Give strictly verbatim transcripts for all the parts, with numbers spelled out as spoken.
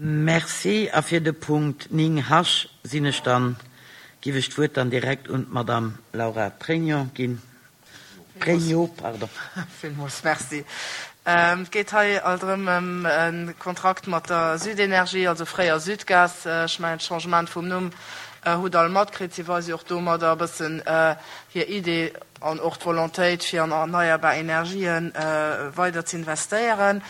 Merci. A fir de Punkt néng H sinn ech dann, giff ech d'Wuert dann direkt un d'Madame Laura Pregnon ginn. Pregno, pardon. Villmools Merci. Et geet hei alt erëm ëm e Kontrakt mat der Südenergie, also fréier Südgas. Ech mengen, d'Changement vum Numm hutt all matkritt. Si weise jo och domadder e bëssen hir Idee an och d'Volontéit, fir an erneierbar Energien weider ze investéieren.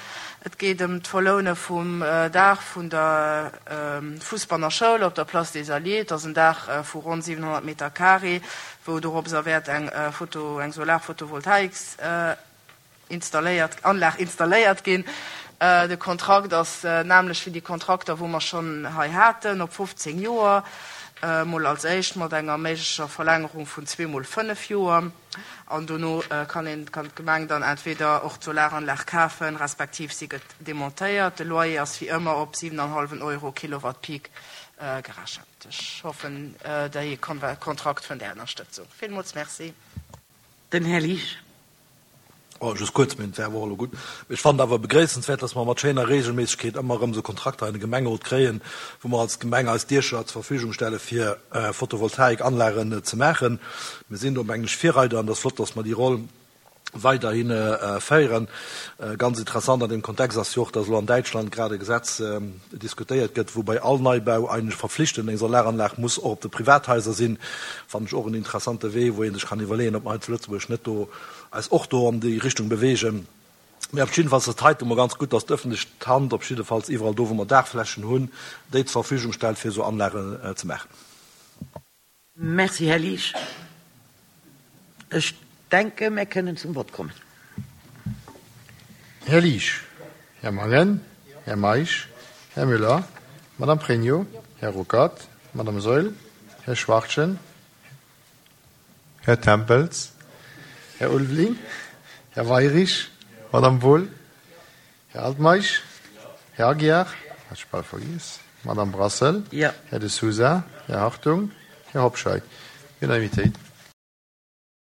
Et geet ëm d'Verloune vum Daach vun der Fussbanner Schoul op der Place des Alliés. Et ass en Daach vu ronn siwenhonnert Meter carré, wou doropser wäert eng Photo, eng Solarphotovoltaiks installéiert, Anlag installéiert ginn. De Kontrakt ass näamlech wéi déi Kontrakter, wou mer schonn hei haten, op fofzéng Joer, mol als éischt mat enger méiglecher Verlängerung vun zweemol fënnef Joer. An dono kann een, kann d'Gemeng dann entweder och d'Solaranlag kafen, respektiv si gëtt demontéiert. De Loyer ass wéi ëmmer op siwen an hallwen Euro Kilowatt Peak gerechent. Ech hoffen, dee Kontrakt fënnt Är Ënnerstëtzung. Villmools Merci. Den Här Liesch. Oh, just kuerz, mee et wär awer och elo gutt. Ech fannen awer begréissenswäert, dass mer mat schéiner Regelméissegkeet ëmmer erëm esou Kontrakter an de Gemengerot kréien, wou mer als Gemeng eis Diecher zur Verfügung stelle fir Photovoltaikanlagen ze maachen. Mir sinn do, mengen ech, Virreider an et ass flott, dass mer déi Roll weiderhi féieren. Ganz interessant an deem Kontext ass jo och, dass elo an Däitschland grad e Gesetz diskutéiert gëtt, wou bei all Neibau eigentlech verpflichtend eng Solaranlag muss och op de Privathaiser sinn. Fannen ech och en interessante Wee, wou ee sech kann iwwerleeën, ob mer hei zu Lëtzebuerg net do eis och do an déi Richtung bewegen. Mee op jiddefalls ass et heite mol ganz gutt, dass d'öffentlech Hand op jiddefalls iwwerall do, wou mer Daachflächen hunn, déi zur Verfügung stellt, fir esou Anlagen ze maachen. Merci, Här Liesch. Ech denke, mir kënnen zum Vott kommen. Här Liesch, Här Mangen, Här Meisch, Här Müller, Madame Pregno, Här Ruckert, Madame Saeul, Här Schwachtgen, Här Tempels, Här Ulveling, Här Weyrich, Madame Wohl, Här Altmeisch, Här Aguiar, hat ech bal vergiess, Madame Brassel, Ja. Här De Sousa, Här Hartung, Här Hobscheit. Unanimitéit.